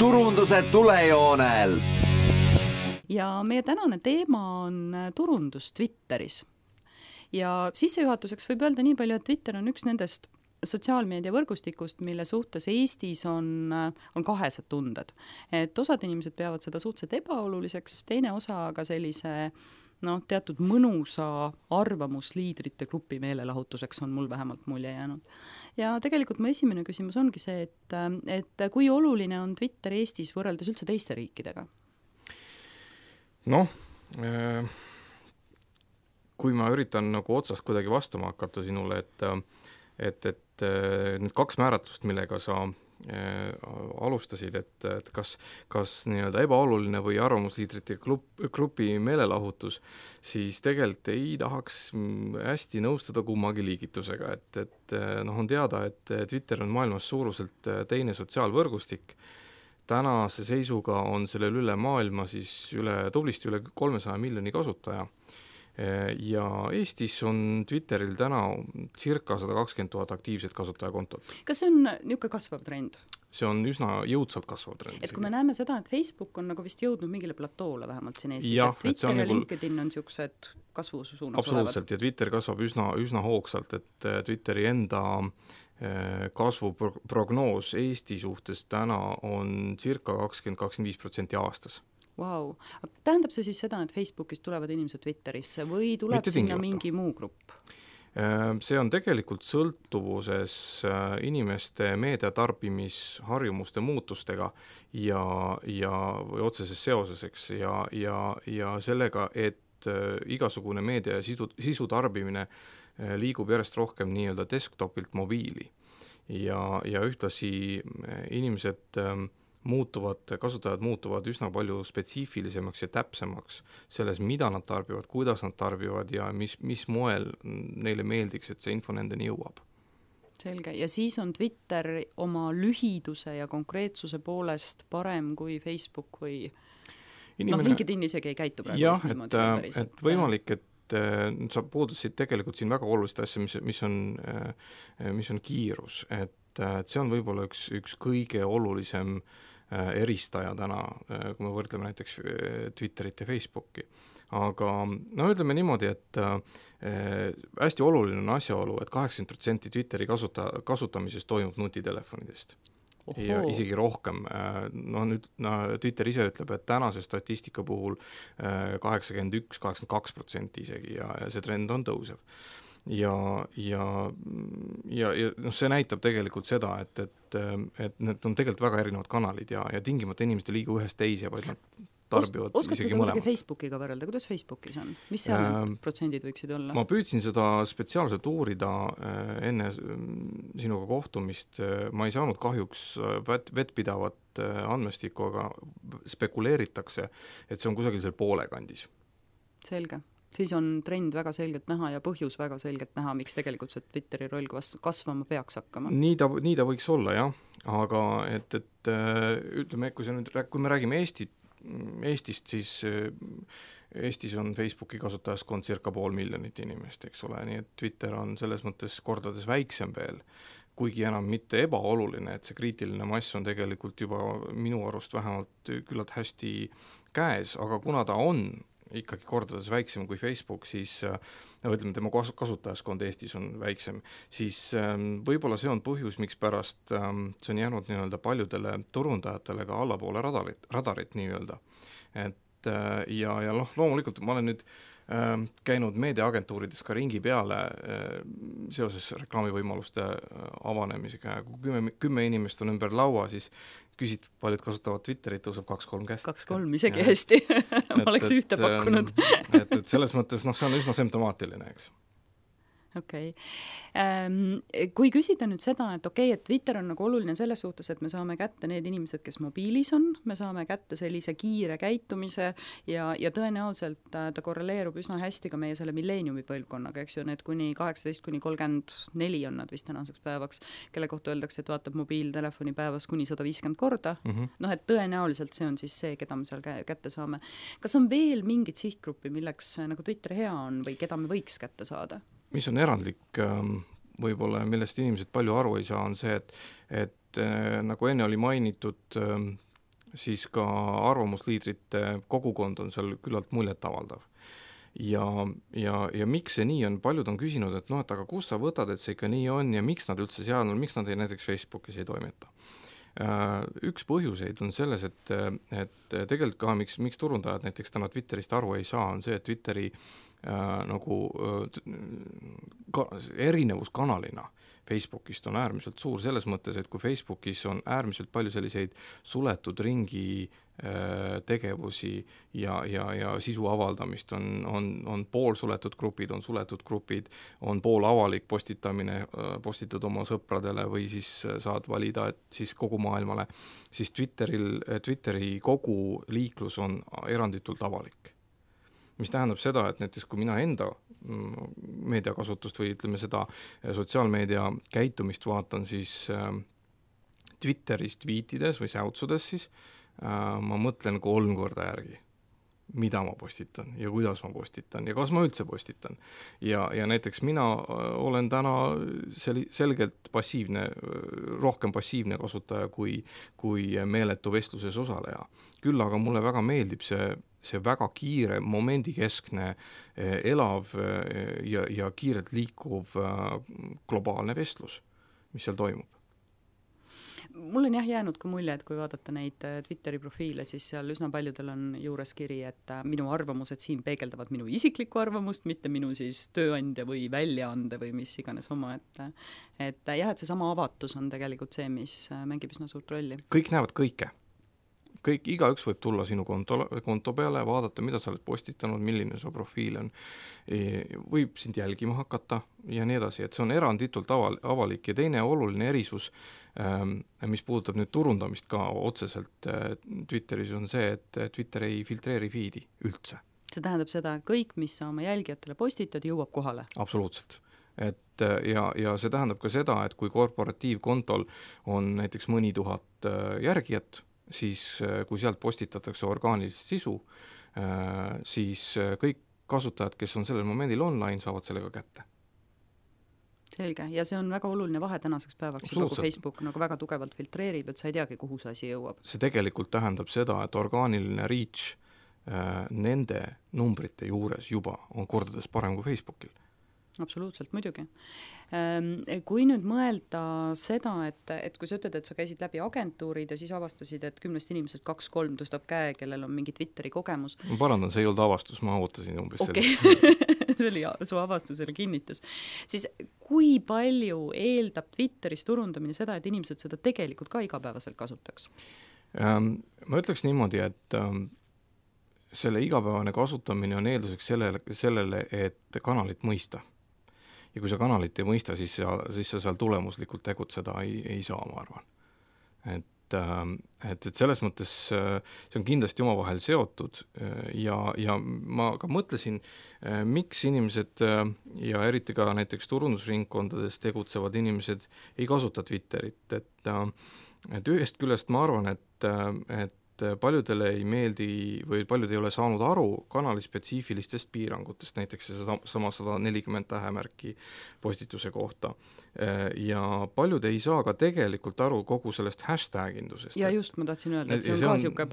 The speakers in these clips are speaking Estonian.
turunduse tulejoonel. Ja meie tänane teema on turundus Twitteris. Ja sissejuhatuseks võib öelda nii palju, et Twitter on üks nendest sotsiaalmeedia võrgustikust, mille suhtes Eestis on kahesed tunded. Et osad inimesed peavad seda suhteliselt ebaoluliseks, teine osa aga sellise teatud mõnusa arvamusliidrite grupi meelelahutuseks on mul vähemalt mulje jäänud. Ja tegelikult mu esimene küsimus ongi see, et kui oluline on Twitter Eestis võrreldes üldse teiste riikidega? Kui ma üritan nagu otsast kuidagi vastama hakata sinule, et need kaks määratlust, millega sa alustasid, et kas nii-öelda ebaoluline või arvamusliidrite grupi meelelahutus, siis tegelikult ei tahaks hästi nõustuda kummagi liigitusega, et on teada, et Twitter on maailmas suuruselt teine sotsiaalvõrgustik. Tänase seisuga on sellel üle maailma siis tublisti üle 300 miljoni kasutaja. Ja Eestis on Twitteril täna circa 120 000 aktiivset kasutajakontot. Kas see on niisugune kasvav trend? See on üsna jõudsalt kasvav trend. Et kui me näeme seda, et Facebook on nagu vist jõudnud mingile platoole vähemalt siin Eestis, et Twitter ja LinkedIn on niisugused kasvusuunas absoluutselt, olevad. Ja Twitter kasvab üsna hoogsalt, et Twitteri enda kasvuprognoos Eesti suhtes täna on circa 20-25% aastas. Wow. Tähendab see siis seda, et Facebookist tulevad inimesed Twitterisse või tuleb sinna mingi muu grupp? See on tegelikult sõltuvuses inimeste meediatarbimisharjumuste muutustega või otseses seoses, eks, ja sellega, et igasugune meedia ja sisu tarbimine liigub järjest rohkem nii-öelda desktopilt mobiili ja ühtlasi kasutajad muutuvad üsna palju spetsiifilisemaks ja täpsemaks selles, mida nad tarbivad, kuidas nad tarbivad ja mis moel neile meeldiks, et see info nendeni jõuab. Selge. Ja siis on Twitter oma lühiduse ja konkreetsuse poolest parem kui Facebook või LinkedIn isegi ei käitu praegu. Jah, et võimalik, et sa puudusid tegelikult siin väga olulist asja, mis on kiirus, et see on võib-olla üks kõige olulisem eristaja täna, kui me võrdleme näiteks Twitterit ja Facebooki. Aga ütleme niimoodi, et hästi oluline on asjaolu, et 80% Twitteri kasutamisest toimub nutitelefonidest. Ja isegi rohkem. Twitter ise ütleb, et tänase statistika puhul 81-82% isegi ja see trend on tõusev. Ja see näitab tegelikult seda, et need on tegelikult väga erinevad kanalid ja tingimata inimesed ei liigu ühest teise, vaid nad tarbivad isegi mõlemad. Oskad seda Facebookiga võrrelda? Kuidas Facebookis on? Mis seal need protsendid võiksid olla? Ma püüdsin seda spetsiaalselt uurida enne sinuga kohtumist. Ma ei saanud kahjuks vettpidavat andmestikku, aga spekuleeritakse, et see on kusagil seal poole kandis. Selge. Siis on trend väga selgelt näha ja põhjus väga selgelt näha, miks tegelikult see Twitteri roll kasvama peaks hakkama. Nii ta võiks olla, jah. Aga ütleme, kui me räägime Eestist, siis Eestis on Facebooki kasutajaskond circa 500 000 inimest, eks ole, nii et Twitter on selles mõttes kordades väiksem veel, kuigi enam mitte ebaoluline, et see kriitiline mass on tegelikult juba minu arust vähemalt küllalt hästi käes, aga kuna ta on ikkagi kordades väiksem kui Facebook, siis ütleme, tema kasutajaskond Eestis on väiksem, siis võib-olla see on põhjus, miks pärast see on jäänud nii-öelda paljudele turundajatele ka allapoole radarit nii-öelda. Ja loomulikult ma olen nüüd käinud meediaagentuurides ka ringi peale seoses reklaamivõimaluste avanemisega. Kui 10 inimest on ümber laua, siis küsid, paljud kasutavad Twitterit, tõuseb 2-3 käest. 2-3 isegi hästi. Ma oleks ühte pakkunud. et selles mõttes, see on üsna symptomaatiline, eks. Okei. Kui küsida nüüd seda, et et Twitter on nagu oluline selles suhtes, et me saame kätte need inimesed, kes mobiilis on, me saame kätte sellise kiire käitumise ja tõenäoliselt ta korreleerub üsna hästi ka meie selle milleeniumi põlvkonnaga, eks ju, need kuni 18-34 on nad vist tänaseks päevaks, kelle kohta öeldakse, et vaatab mobiiltelefoni päevas kuni 150 korda. Et tõenäoliselt see on siis see, keda me seal kätte saame. Kas on veel mingid sihtgruppi, milleks nagu Twitter hea on või keda me võiks kätte saada? Mis on erandlik võib-olla, millest inimesed palju aru ei saa, on see, et nagu enne oli mainitud, siis ka arvamusliidrite kogukond on seal küllalt muljetavaldav. Ja miks see nii on, paljud on küsinud, et noh, et aga kus sa võtad, et see ikka nii on ja miks nad üldse seal on, miks nad näiteks Facebookis ei toimeta. Üks põhjuseid on selles, et tegelikult ka miks turundajad näiteks täna Twitterist aru ei saa, on see, et Twitteri erinevus kanalina Facebookist on äärmiselt suur selles mõttes, et kui Facebookis on äärmiselt palju selliseid suletud ringi tegevusi ja sisu avaldamist, on poolsuletud grupid, on suletud grupid, on pool avalik postitamine, postitad oma sõpradele või siis saad valida, et siis kogu maailmale, siis Twitteri kogu liiklus on eranditult avalik. Mis tähendab seda, et näiteks kui mina enda meediakasutust või ütleme seda sotsiaalmeedia käitumist vaatan, siis Twitteris tweetides või säutsudes siis ma mõtlen 3 korda järgi, mida ma postitan ja kuidas ma postitan ja kas ma üldse postitan. Ja näiteks mina olen täna selgelt rohkem passiivne kasutaja kui meeletu vestluses osaleja. Küll aga mulle väga meeldib see väga kiire, momendikeskne, elav ja kiirelt liikuv globaalne vestlus, mis seal toimub. Mul on jäänud ka mulje, et kui vaadata neid Twitteri profiile, siis seal üsna paljudel on juures kiri, et minu arvamused siin peegeldavad minu isiklikku arvamust, mitte minu siis tööandja või väljaande või mis iganes oma, et jah, et see sama avatus on tegelikult see, mis mängib üsna suurt rolli. Kõik näevad kõike. Igaüks võib tulla sinu konto peale, vaadata, mida sa oled postitanud, milline su profiil on, võib sind jälgima hakata ja nii edasi, et see on eranditult avalik ja teine oluline erisus, mis puudutab nüüd turundamist ka otseselt Twitteris, on see, et Twitter ei filtreeri feedi üldse. See tähendab seda, kõik, mis sa oma jälgijatele postitad, jõuab kohale? Absoluutselt. Ja see tähendab ka seda, et kui korporatiivkontol on näiteks mõni tuhat järgijat, siis kui sealt postitatakse orgaanilist sisu, siis kõik kasutajad, kes on sellel momendil online, saavad sellega kätte. Selge, ja see on väga oluline vahe tänaseks päevaks, kui Facebook nagu väga tugevalt filtreerib, et sa ei teagi, kuhu see asi jõuab. See tegelikult tähendab seda, et orgaaniline reach nende numbrite juures juba on kordades parem kui Facebookil. Absoluutselt, muidugi. Kui nüüd mõelda seda, et kui sa ütled, et sa käisid läbi agentuurid ja siis avastasid, et 10 inimesest 2-3 tõstab käe, kellel on mingi Twitteri kogemus. Ma parandan, see ei olnud avastus, ma ootasin umbes see oli su avastusele kinnitus. Siis kui palju eeldab Twitteris turundamine seda, et inimesed seda tegelikult ka igapäevaselt kasutaks? Ma ütleks niimoodi, et selle igapäevane kasutamine on eelduseks sellele, et kanalit mõista. Ja kui sa kanalit ei mõista, siis sa seal tulemuslikult tegutseda ei saa, ma arvan. Et selles mõttes see on kindlasti omavahel seotud ja ma ka mõtlesin, miks inimesed ja eriti ka näiteks turundusringkondades tegutsevad inimesed ei kasuta Twitterit. Et ühest küljest ma arvan, et paljudele ei meeldi või paljud ei ole saanud aru kanali spetsiifilistest piirangutest, näiteks see sama 140 tähemärki postituse kohta. Ja paljud ei saa ka tegelikult aru kogu sellest hashtagindusest. Ja just ma tahtsin öelda, et see on ka siuke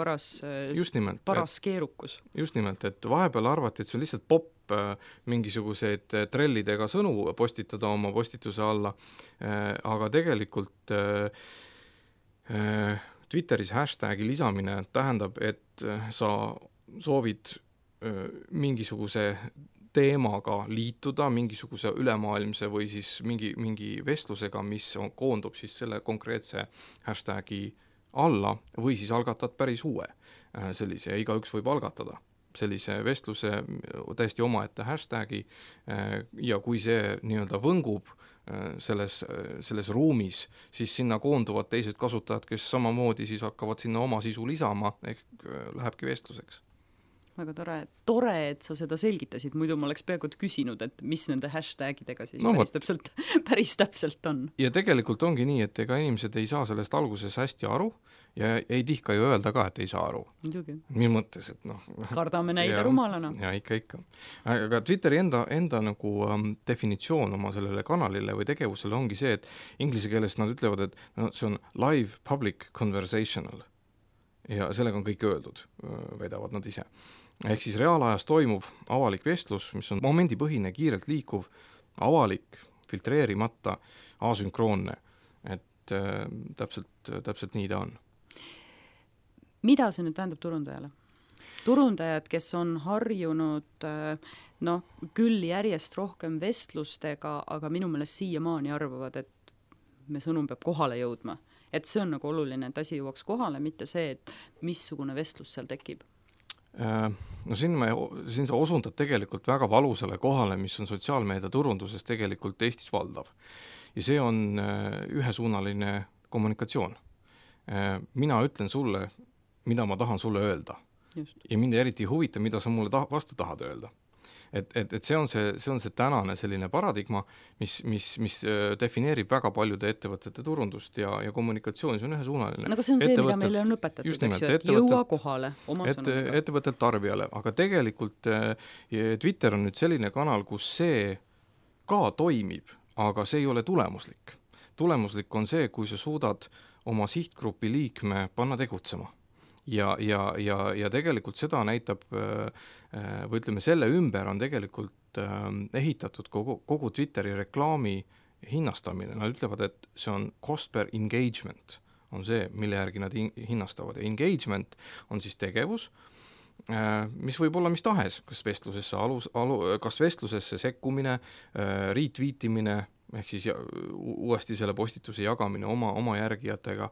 paras keerukus. Just nimelt, et vahepeal arvati, et see on lihtsalt popp mingisuguseid trellidega sõnu postitada oma postituse alla, aga tegelikult Twitteris hashtagi lisamine tähendab, et sa soovid mingisuguse teemaga liituda, mingisuguse ülemaailmse või siis mingi vestlusega, mis koondub siis selle konkreetse hashtagi alla või siis algatad päris uue sellise, igaüks võib algatada sellise vestluse täiesti omaette hashtagi ja kui see nii-öelda võngub selles ruumis, siis sinna koonduvad teised kasutajad, kes samamoodi siis hakkavad sinna oma sisu lisama, ehk lähebki vestluseks. Väga tore, et sa seda selgitasid, muidu ma oleks peaaegu küsinud, et mis nende hashtagidega siis päris täpselt on. Ja tegelikult ongi nii, et ega inimesed ei saa sellest alguses hästi aru ja ei tihka ju öelda ka, et ei saa aru. Mis mõttes, et kardame näida rumalana. Ja ikka. Aga Twitteri enda nagu definitsioon oma sellele kanalile või tegevusele ongi see, et inglise keeles nad ütlevad, et see on live public conversational. ja sellega on kõik öeldud, väidavad nad ise. Ehk siis reaalajas toimuv avalik vestlus, mis on momendipõhine, kiirelt liikuv, avalik, filtreerimata, asünkroonne, et täpselt nii ta on. Mida see nüüd tähendab turundajale? Turundajad, kes on harjunud küll järjest rohkem vestlustega, aga minu meelest siiamaani arvavad, et me sõnum peab kohale jõudma. Et see on nagu oluline, et asi jõuaks kohale, mitte see, et missugune vestlus seal tekib. No siin sa osundad tegelikult väga valusale kohale, mis on sotsiaalmeedia turunduses tegelikult Eestis valdav. Ja see on ühesuunaline kommunikatsioon. Mina ütlen sulle, mida ma tahan sulle öelda. Just. Ja mind eriti ei huvita, mida sa mulle vastu tahad öelda. Et see on see tänane selline paradigma, mis defineerib väga paljude ettevõtete turundust ja kommunikatsiooni, see on ühesuunaline. Aga see on see, mida meile on õpetatud, eks ju, et jõua kohale oma sõnumiga. Ettevõttelt tarbijale, aga tegelikult Twitter on nüüd selline kanal, kus see ka toimib, aga see ei ole tulemuslik. Tulemuslik on see, kui sa suudad oma sihtgrupi liikme panna tegutsema. Ja tegelikult seda näitab, või ütleme, selle ümber on tegelikult ehitatud kogu Twitteri reklaami hinnastamine. Nad ütlevad, et see on cost per engagement, on see, mille järgi nad hinnastavad. Ja engagement on siis tegevus, mis võib olla mis tahes, kas vestlusesse sekkumine, retweetimine, ehk siis uuesti selle postituse jagamine oma järgijatega,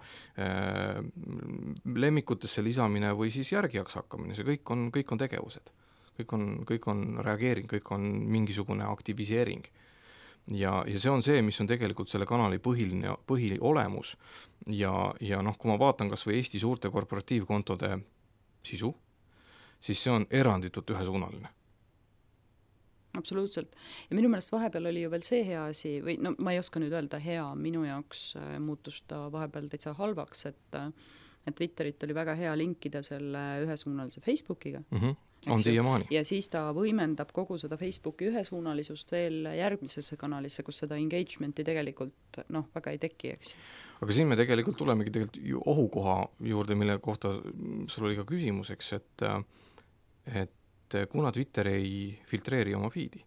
lemmikutesse lisamine või siis järgijaks hakkamine, see kõik on tegevused. Kõik on reageering, kõik on mingisugune aktiviseering. Ja see on see, mis on tegelikult selle kanali põhiolemus. Ja kui ma vaatan kas või Eesti suurte korporatiivkontode sisu, siis see on eranditult ühesuunaline. Absoluutselt. Ja minu meelest vahepeal oli ju veel see hea asi, või ma ei oska nüüd öelda hea, minu jaoks muutus ta vahepeal täitsa halvaks, et Twitterit oli väga hea linkida selle ühesuunalise Facebookiga. On siiamaani. Ja siis ta võimendab kogu seda Facebooki ühesuunalisust veel järgmisesse kanalisse, kus seda engagementi tegelikult väga ei teki, eks. Aga siin me tegelikult tulemegi ju ohukoha juurde, mille kohta sul oli ka küsimuseks, et kuna Twitter ei filtreeri oma feedi,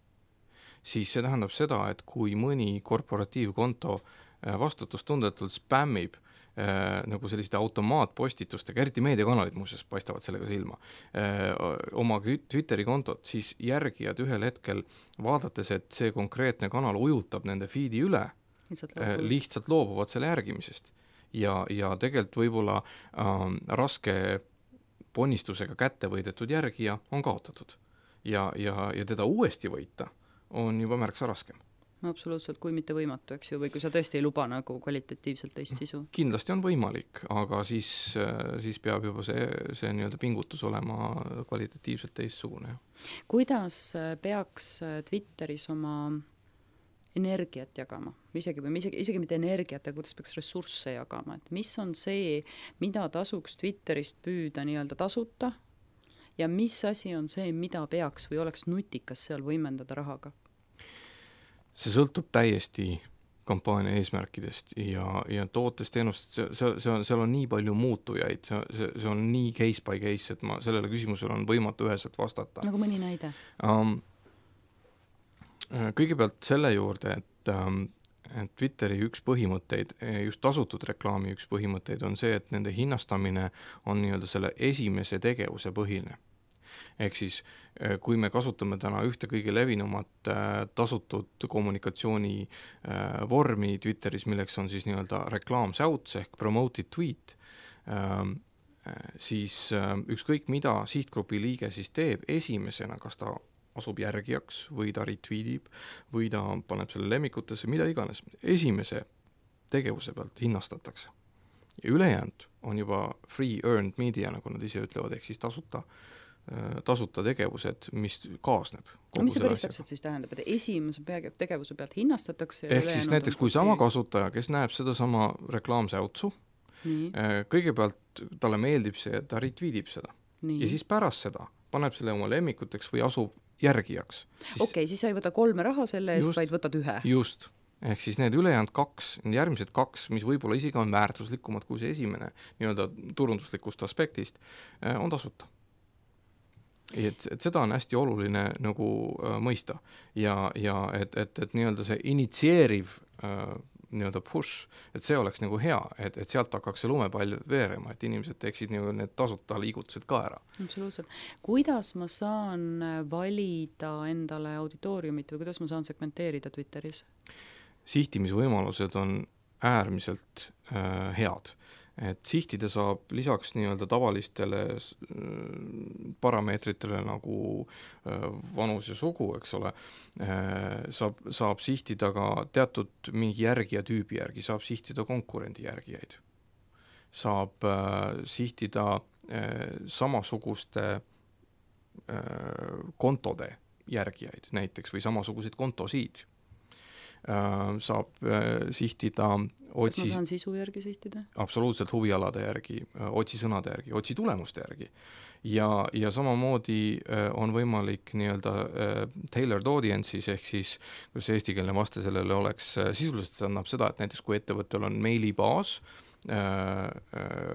siis see tähendab seda, et kui mõni korporatiivkonto vastutustundetult spämmib nagu selliste automaatpostitustega, eriti meediakanalid muuseas paistavad sellega silma, oma Twitteri kontot, siis järgijad ühel hetkel vaadates, et see konkreetne kanal ujutab nende feedi üle, lihtsalt loobuvad selle järgimisest. Ja tegelikult võib-olla raske ponnistusega kätte võidetud järgija on kaotatud. Ja teda uuesti võita on juba märksa raskem. Absoluutselt, kui mitte võimatu, eks ju, või kui sa tõesti ei luba nagu kvalitatiivselt teist sisu. Kindlasti on võimalik, aga siis peab juba see nii-öelda pingutus olema kvalitatiivselt teistsugune. Kuidas peaks Twitteris oma energiat jagama, isegi mitte energiat, aga kuidas peaks ressursse jagama, et mis on see, mida tasuks Twitterist püüda nii-öelda tasuta ja mis asi on see, mida peaks või oleks nutikas seal võimendada rahaga? See sõltub täiesti kampaania eesmärkidest ja tootest teenust, seal on nii palju muutujaid, see on nii case by case, et sellele küsimusele on võimatu üheselt vastata. Nagu mõni näide? Kõigepealt selle juurde, et Twitteri üks põhimõtteid, just tasutud reklaami üks põhimõtteid on see, et nende hinnastamine on nii-öelda selle esimese tegevuse põhine. Ehk siis, kui me kasutame täna ühte kõige levinumat tasutud kommunikatsiooni vormi Twitteris, milleks on siis nii-öelda reklaamsäuts ehk promoted tweet, siis ükskõik mida sihtgrupi liige siis teeb esimesena, kas ta asub järgijaks või ta retweetib või ta paneb selle lemmikutesse, mida iganes. Esimese tegevuse pealt hinnastatakse. Ja ülejäänud on juba free earned media, nagu nad ise ütlevad, ehk siis tasuta tegevused, mis kaasneb. Mis see päris täpselt siis tähendab, et esimese tegevuse pealt hinnastatakse? Ehk siis näiteks, kui sama kasutaja, kes näeb seda sama reklaamsäutsu, kõigepealt talle meeldib see, et ta retweetib seda. Ja siis pärast seda paneb selle oma lemmikuteks või asub järgijaks. Okei, siis sa ei võta 3 raha selle eest, vaid võtad 1. Just. ehk siis need ülejäänud 2, järgmised 2, mis võib-olla isegi on väärtuslikumad kui see esimene nii-öelda turunduslikust aspektist, on tasuta. Et seda on hästi oluline nagu mõista ja et nii-öelda see initsieeriv nii-öelda push, et see oleks nagu hea, et sealt hakkaks see lumepall veerema, et inimesed teeksid nagu need tasuta liigutused ka ära. Absoluutselt. Kuidas ma saan valida endale auditooriumit või kuidas ma saan segmenteerida Twitteris? Sihtimisvõimalused on äärmiselt head. Et sihtida saab lisaks nii-öelda tavalistele parameetritele nagu vanus ja sugu, eks ole, saab sihtida ka teatud mingi järgija tüübi järgi, saab sihtida konkurendi järgijaid. Saab sihtida samasuguste kontode järgijaid näiteks või samasuguseid kontosid. Saab sihtida kas ma saan sisu järgi sihtida? Absoluutselt huvialade järgi, otsisõnade järgi, otsitulemuste järgi. Ja samamoodi on võimalik nii-öelda tailored audiences ehk siis, kus eestikeelne vaste sellele oleks, sisuliselt see annab seda, et näiteks kui ettevõttel on meilibaas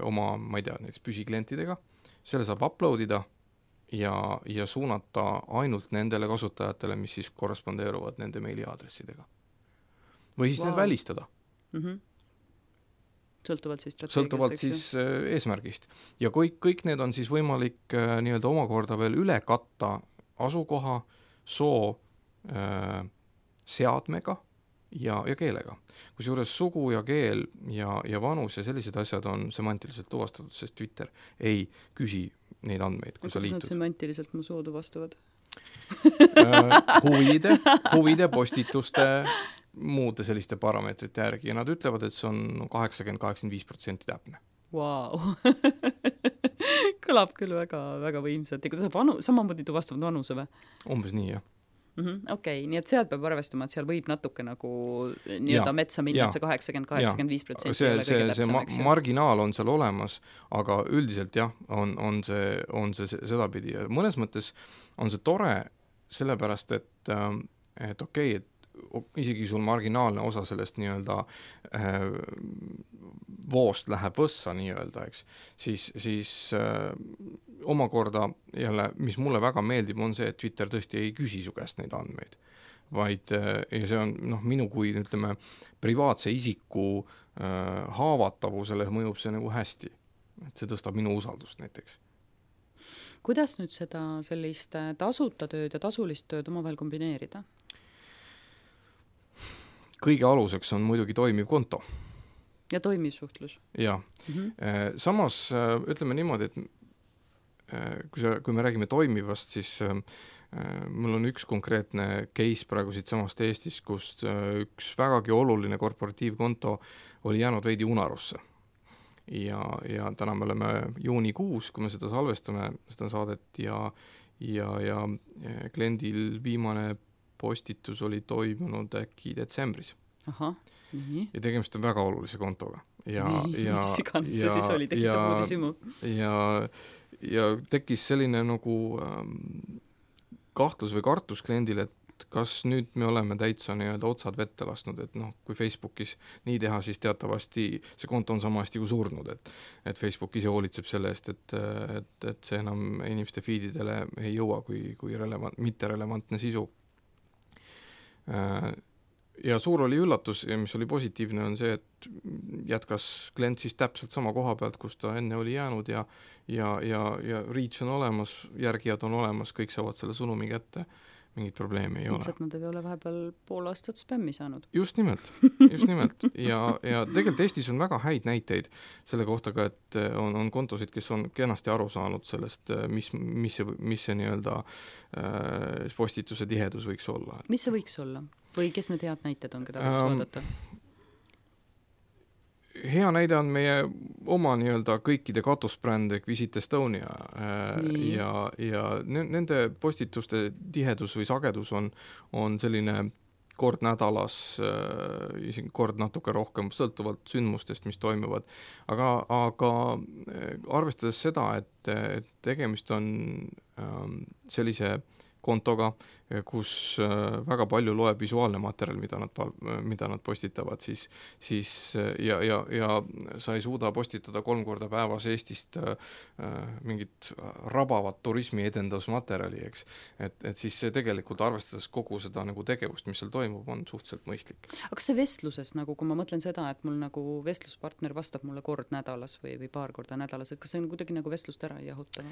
oma, ma ei tea, näiteks püsiklientidega, selle saab uploadida ja suunata ainult nendele kasutajatele, mis siis korrespondeeruvad nende meiliaadressidega. Või siis need välistada. Sõltuvalt siis strateegiast. Sõltuvalt siis eesmärgist. Ja kõik need on siis võimalik nii-öelda omakorda veel üle katta asukoha, soo, seadmega ja keelega. Kusjuures sugu ja keel ja vanus ja sellised asjad on semantiliselt tuvastatud, sest Twitter ei küsi neid andmeid, kui sa liitud. Kuidas nad semantiliselt mu soo tuvastavad? huvide, postituste, muude selliste parameetrite järgi ja nad ütlevad, et see on 80-85% täpne. Wow. Kõlab küll väga, väga võimsalt. Ja kuidas samamoodi tuvastavad vanuse või? Umbes nii, jah. Okei, nii et sealt peab arvestama, et seal võib natuke nagu nii-öelda metsa minna, et see 80-85% see marginaal on seal olemas, aga üldiselt jah, on see sedapidi ja mõnes mõttes on see tore sellepärast, et okei, et isegi sul marginaalne osa sellest nii-öelda voost läheb võssa nii-öelda, eks, siis omakorda jälle, mis mulle väga meeldib, on see, et Twitter tõesti ei küsi su käest neid andmeid, vaid ja see on minu kui ütleme privaatse isiku haavatavusele mõjub see nagu hästi, et see tõstab minu usaldust näiteks. Kuidas nüüd seda sellist tasuta tööd ja tasulist tööd omavahel kombineerida? Kõige aluseks on muidugi toimiv konto. Ja toimiv suhtlus. Ja. Samas ütleme niimoodi, et kui me räägime toimivast, siis mul on üks konkreetne case praegu siit samast Eestis, kus üks vägagi oluline korporatiivkonto oli jäänud veidi unarusse. Ja täna me oleme juunikuus, kui me seda salvestame, seda saadet ja kliendil viimane postitus oli toimunud äkki detsembris. Aha, nii. Ja tegemist on väga olulise kontoga. Mis iganes see siis oli, tekitab uudisimu. Ja tekkis selline nagu kahtlus või kartus kliendil, et kas nüüd me oleme täitsa nii-öelda otsad vette lasknud, et kui Facebookis nii teha, siis teatavasti see konto on sama hästi kui surnud, et Facebook ise hoolitseb selle eest, et see enam inimeste feedidele ei jõua kui mitterelevantne sisu. Ja suur oli üllatus ja mis oli positiivne on see, et jätkas klient siis täpselt sama koha pealt, kus ta enne oli jäänud ja reach on olemas, järgijad on olemas, kõik saavad selle sõnumi kätte, mingit probleemi ei ole. Lihtsalt nad ei ole vahepeal pool aastat spämmi saanud. Just nimelt. Ja tegelikult Eestis on väga häid näiteid selle kohta ka, et on kontosid, kes on kenasti aru saanud sellest, mis see nii-öelda postituse tihedus võiks olla. Mis see võiks olla? Või kes need head näited on, keda võiks vaadata? Hea näide on meie oma nii-öelda kõikide katusbränd Visit Estonia ja nende postituste tihedus või sagedus on selline kord nädalas, kord natuke rohkem, sõltuvalt sündmustest, mis toimuvad. Aga arvestades seda, et tegemist on sellise kontoga, kus väga palju loeb visuaalne materjal, mida nad postitavad, siis ja sa ei suuda postitada 3 korda päevas Eestist mingit rabavat turismi edendusmaterjali, eks. Et siis see tegelikult arvestades kogu seda nagu tegevust, mis seal toimub, on suhteliselt mõistlik. Aga kas see vestluses, nagu kui ma mõtlen seda, et mul nagu vestluspartner vastab mulle kord nädalas või paar korda nädalas, et kas see on kuidagi nagu vestlust ära ei jahuta?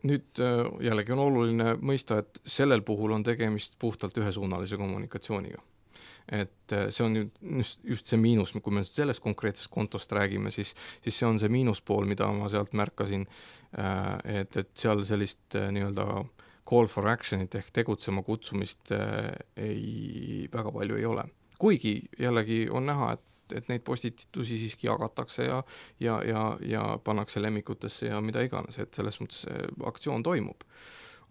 Nüüd jällegi on oluline mõista, et sellel puhul on tegemist puhtalt ühesuunalise kommunikatsiooniga. Et see on just see miinus, kui me sellest konkreetsest kontost räägime, siis see on see miinuspool, mida ma sealt märkasin, et seal sellist nii-öelda call for action'it ehk tegutsema kutsumist väga palju ei ole. Kuigi jällegi on näha, et neid postitusi siiski jagatakse ja pannakse lemmikutesse ja mida iganes, et selles mõttes aktsioon toimub.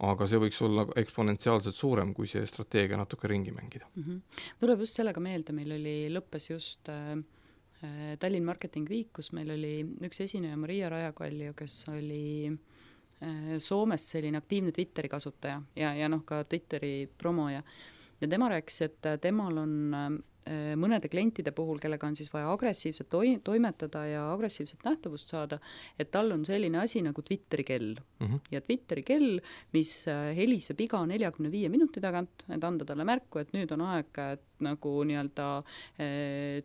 Aga see võiks olla eksponentsiaalselt suurem, kui see strateegia natuke ringi mängida. Tuleb just sellega meelde, meil lõppes just Tallinn Marketing Week, kus meil oli üks esineja Maria Rajakalju, kes oli Soomes selline aktiivne Twitteri kasutaja ja ka Twitteri promoja. Ja tema rääkis, et temal on mõnede klientide puhul, kellega on siis vaja agressiivselt toimetada ja agressiivset nähtavust saada, et tal on selline asi nagu Twitteri kell. Ja Twitteri kell, mis heliseb iga 45 minuti tagant, et anda talle märku, et nüüd on aeg nagu nii-öelda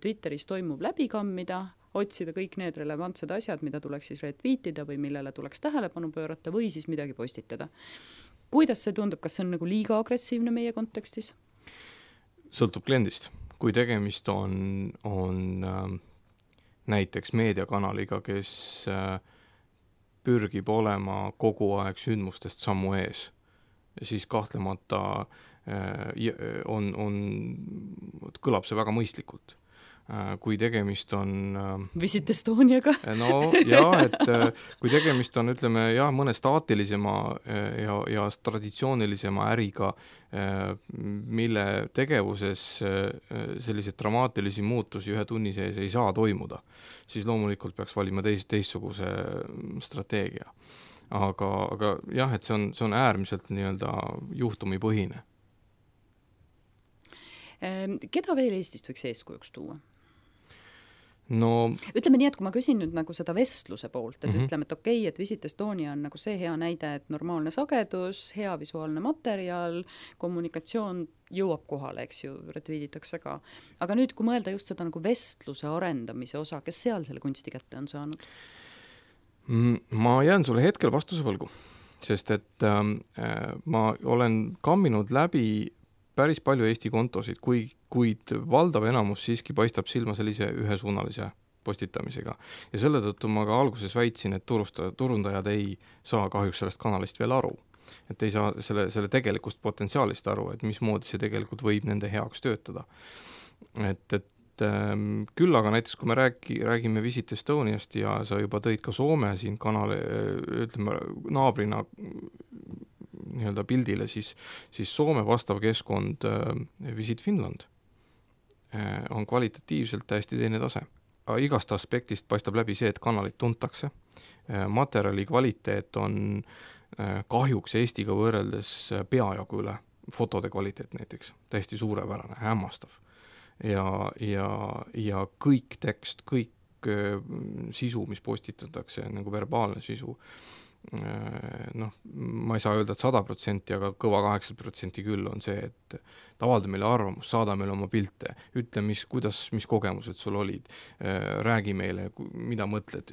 Twitteris toimub läbikammida, otsida kõik need relevantsed asjad, mida tuleks siis retweetida või millele tuleks tähelepanu pöörata või siis midagi postitada. Kuidas see tundub, kas see on nagu liiga agressiivne meie kontekstis? Sõltub kliendist. Kui tegemist on näiteks meediakanaliga, kes pürgib olema kogu aeg sündmustest sammu ees, siis kahtlemata kõlab see väga mõistlikult. Kui tegemist on Visit Estoniaga. No jah, et kui tegemist on, ütleme, mõne staatilisema ja traditsioonilisema äriga, mille tegevuses selliseid dramaatilisi muutusi 1 tunni sees ei saa toimuda, siis loomulikult peaks valima teistsuguse strateegia. Aga jah, et see on äärmiselt nii-öelda juhtumipõhine. Keda veel Eestist võiks eeskujuks tuua? No, ütleme nii, et kui ma küsin nüüd nagu seda vestluse poolt, et ütleme, et okei, et Visit Estonia on nagu see hea näide, et normaalne sagedus, hea visuaalne materjal, kommunikatsioon jõuab kohale, eks ju, retweeditakse ka. Aga nüüd, kui mõelda just seda nagu vestluse arendamise osa, kes seal selle kunsti kätte on saanud? Ma jään sulle hetkel vastuse võlgu, sest et ma olen kamminud läbi päris palju Eesti kontosid, kuid valdav enamus siiski paistab silma sellise ühesuunalise postitamisega. Ja selle tõttu ma ka alguses väitsin, et turundajad ei saa kahjuks sellest kanalist veel aru. Et ei saa selle tegelikust potentsiaalist aru, et mismoodi see tegelikult võib nende heaks töötada. Et küll aga näiteks, kui me räägime Visit Estoniast ja sa juba tõid ka Soome siin kanali, ütleme, naabrina nii-öelda pildile, siis Soome vastav keskkond Visit Finland on kvalitatiivselt täiesti teine tase. Igast aspektist paistab läbi see, et kanalit tuntakse. Materjali kvaliteet on kahjuks Eestiga võrreldes peajagu üle, fotode kvaliteet näiteks, täiesti suurepärane, hämmastav. Ja kõik tekst, kõik sisu, mis postitatakse, nagu verbaalne sisu, ma ei saa öelda, et 100%, aga kõva 80% küll on see, et avalda meile arvamust, saada meile oma pilte, ütle, mis kogemused sul olid, räägi meile, mida mõtled,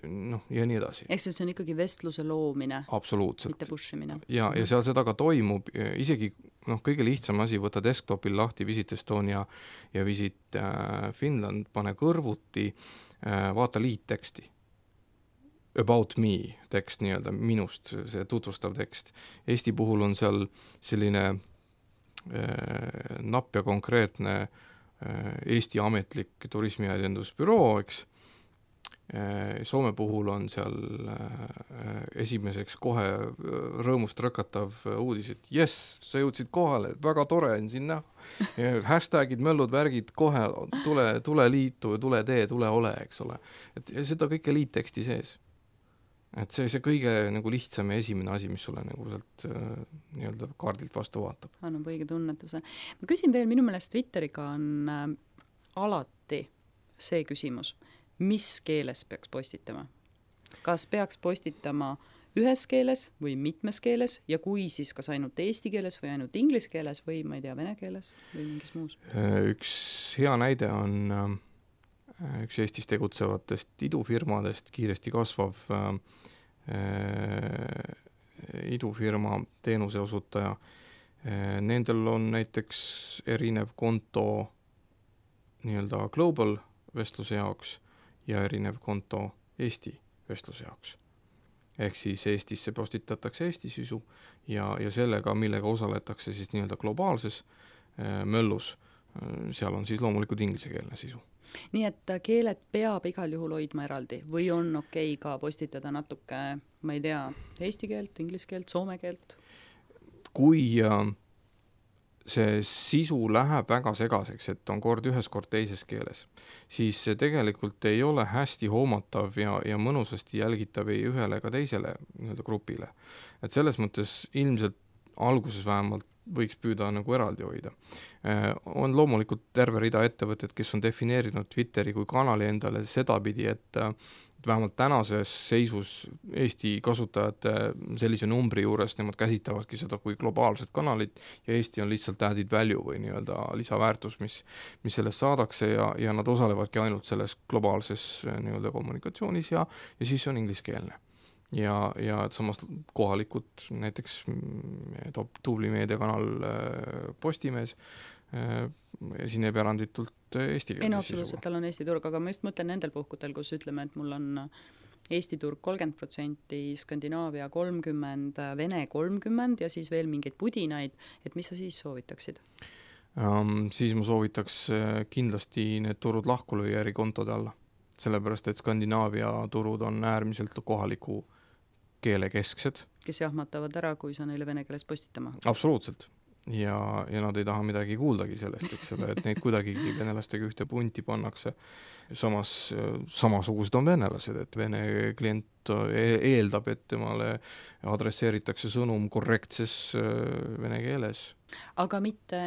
ja nii edasi. Eks see on ikkagi vestluse loomine. Absoluutselt. Mitte pushimine. Ja seal seda ka toimub, isegi kõige lihtsam asi, võta desktopil lahti Visit Estonia ja Visit Finland, pane kõrvuti, vaata liitteksti. About me tekst, nii-öelda minust, see tutvustav tekst. Eesti puhul on seal selline napp ja konkreetne Eesti ametlik turismiedendusbüroo, eks. Soome puhul on seal esimeseks kohe rõõmust rõkatav uudis, et yes, sa jõudsid kohale, väga tore on siin näha. Hashtagid, möllud, värgid, kohe tule liitu, tule tee, tule ole, eks ole. Et seda kõike liitteksti sees. et see kõige nagu lihtsam ja esimene asi, mis sulle nagu sealt nii-öelda kaardilt vastu vaatab. Annab õige tunnetuse. Ma küsin veel, minu meelest Twitteriga on alati see küsimus, mis keeles peaks postitama? Kas peaks postitama ühes keeles või mitmes keeles ja kui siis kas ainult eesti keeles või ainult inglise keeles või ma ei tea, vene keeles või mingis muus? Üks hea näide on üks Eestis tegutsevatest idufirmadest, kiiresti kasvav idufirma teenuse osutaja. Nendel on näiteks erinev konto nii-öelda global vestluse jaoks ja erinev konto Eesti vestluse jaoks. Ehk siis Eestisse postitatakse Eesti sisu ja sellega, millega osaletakse siis nii-öelda globaalses möllus, seal on siis loomulikult inglisekeelne sisu. Nii et keeled peab igal juhul hoidma eraldi või on okei ka postitada natuke, ma ei tea, eesti keelt, inglise keelt, soome keelt? Kui see sisu läheb väga segaseks, et on kord ühes, kord teises keeles, siis see tegelikult ei ole hästi hoomatav ja mõnusasti jälgitav ei ühele ega teisele nii-öelda grupile. Et selles mõttes ilmselt alguses vähemalt võiks püüda nagu eraldi hoida. On loomulikult terve rida ettevõtted, kes on defineerinud Twitteri kui kanali endale sedapidi, et vähemalt tänases seisus Eesti kasutajate sellise numbri juures nemad käsitavadki seda kui globaalset kanalit ja Eesti on lihtsalt added value või nii-öelda lisaväärtus, mis sellest saadakse ja nad osalevadki ainult selles globaalses nii-öelda kommunikatsioonis ja siis on ingliskeelne. Ja samas kohalikud, näiteks tubli meediakanal Postimees esineb eranditult eestikeelse absoluutselt, tal on Eesti turg, aga ma just mõtlen nendel puhkudel, kus ütleme, et mul on Eesti turg 30%, Skandinaavia 30%, Vene 30% ja siis veel mingeid pudinaid, et mis sa siis soovitaksid? Siis ma soovitaks kindlasti need turud lahku lüüa eri kontode alla. Sellepärast, et Skandinaavia turud on äärmiselt kohaliku keele kesksed. Kes jahmatavad ära, kui sa neile vene keeles postitama? Absoluutselt. Ja nad ei taha midagi kuuldagi sellest, eks ole, et neid kuidagigi venelastega ühte punti pannakse. Samasugused on venelased, et vene klient eeldab, et temale adresseeritakse sõnum korrektses vene keeles. Aga mitte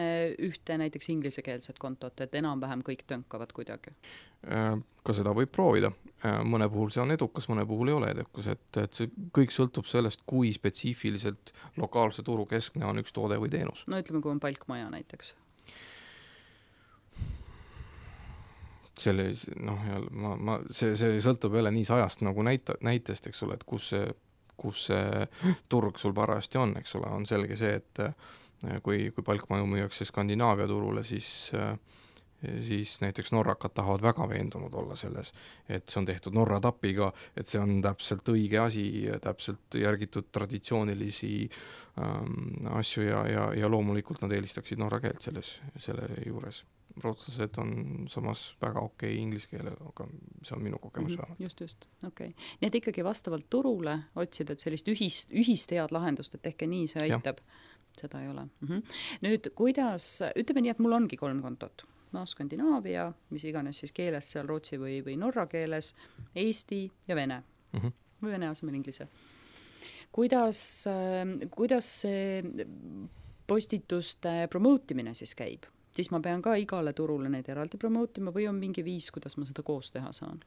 ühte näiteks inglisekeelset kontot, et enam-vähem kõik tõnkavad kuidagi? Ka seda võib proovida. Mõne puhul see on edukas, mõne puhul ei ole edukas, et see kõik sõltub sellest, kui spetsiifiliselt lokaalse turu keskne on üks toode või teenus. No ütleme, kui on palkmaja näiteks. See sõltub jälle nii sajast nagu näitest, eks ole, et kus see turg sul parajasti on, eks ole, on selge see, et kui palkmaju müüakse Skandinaavia turule, siis näiteks norrakad tahavad väga veendunud olla selles, et see on tehtud Norra tapiga, et see on täpselt õige asi, täpselt järgitud traditsioonilisi asju ja loomulikult nad eelistaksid norra keelt selle juures. Rootslased on samas väga okei inglise keele, aga see on minu kogemus vähemalt. Just, okei. Nii et ikkagi vastavalt turule otsida, et sellist ühist head lahendust, et tehke nii, see aitab. Seda ei ole. Nüüd, kuidas, ütleme nii, et mul ongi 3 kontot. Skandinaavia, mis iganes siis keeles seal rootsi või norra keeles, Eesti ja vene. Või vene asemel inglise. Kuidas see postituste promootimine siis käib? Siis ma pean ka igale turule neid eraldi promootima või on mingi viis, kuidas ma seda koos teha saan?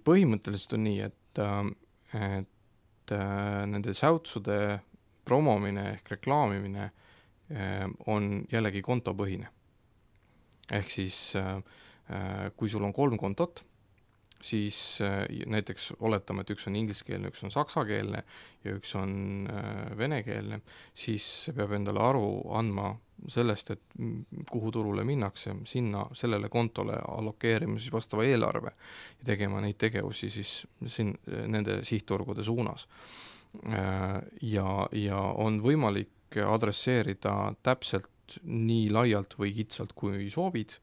Põhimõtteliselt on nii, et nende säutsude promomine ehk reklaamimine on jällegi kontopõhine. Ehk siis, kui sul on 3 kontot, siis näiteks oletame, et üks on ingliskeelne, üks on saksakeelne ja üks on venekeelne, siis peab endale aru andma sellest, et kuhu turule minnakse, sellele kontole allokeerima siis vastava eelarve ja tegema neid tegevusi siis nende sihtturgude suunas. Ja on võimalik adresseerida täpselt nii laialt või kitsalt, kui soovid,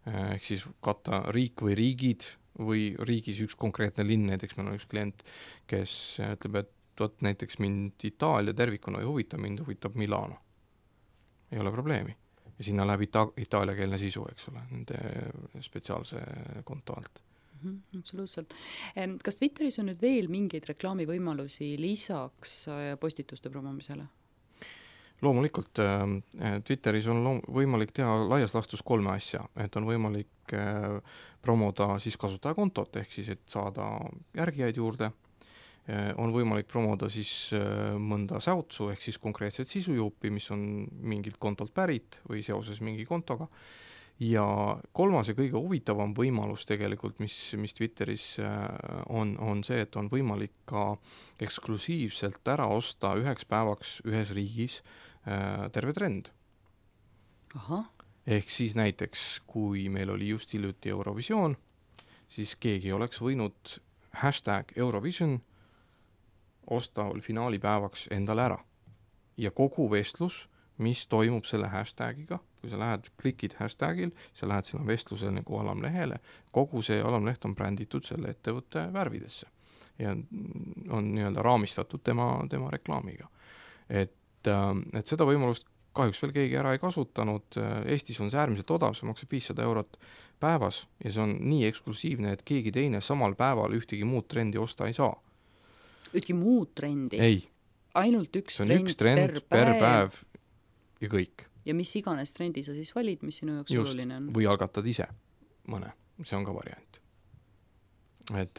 ehk siis katta riik või riigid või riigis üks konkreetne linn, näiteks meil on üks klient, kes ütleb, et näiteks mind Itaalia tervikuna ei huvita, mind huvitab Milano. Ei ole probleemi. Ja sinna läheb itaaliakeelne sisu, eks ole, nende spetsiaalse konto alt. Absoluutselt. Kas Twitteris on nüüd veel mingeid reklaamivõimalusi lisaks postituste promomisele? Loomulikult Twitteris on võimalik teha laias laastus 3 asja, et on võimalik promoda siis kasutajakontot, ehk siis, et saada järgijaid juurde, on võimalik promoda siis mõnda säutsu, ehk siis konkreetset sisujuupi, mis on mingilt kontolt pärit või seoses mingi kontoga, ja 3. ja kõige huvitavam võimalus tegelikult, mis Twitteris on see, et on võimalik ka eksklusiivselt ära osta 1 päevaks ühes riigis terve trend. Aha. Ehk siis näiteks, kui meil oli just hiljuti Eurovisioon, siis keegi oleks võinud #Eurovision osta finaalipäevaks endale ära. Ja kogu vestlus, mis toimub selle hashtagiga, kui sa lähed, klikid hashtagil, sa lähed sinna vestluse nagu alamlehele, kogu see alamleht on bränditud selle ettevõtte värvidesse ja on nii-öelda raamistatud tema reklaamiga. Et seda võimalust kahjuks veel keegi ära ei kasutanud. Eestis on see äärmiselt odav, see maksab 500 eurot päevas ja see on nii eksklusiivne, et keegi teine samal päeval ühtegi muud trendi osta ei saa. Ühtegi muud trendi? Ei. Ainult üks trend per päev ja kõik. Ja mis iganes trendi sa siis valid, mis sinu jaoks oluline on? Või algatad ise mõne, see on ka variant. Et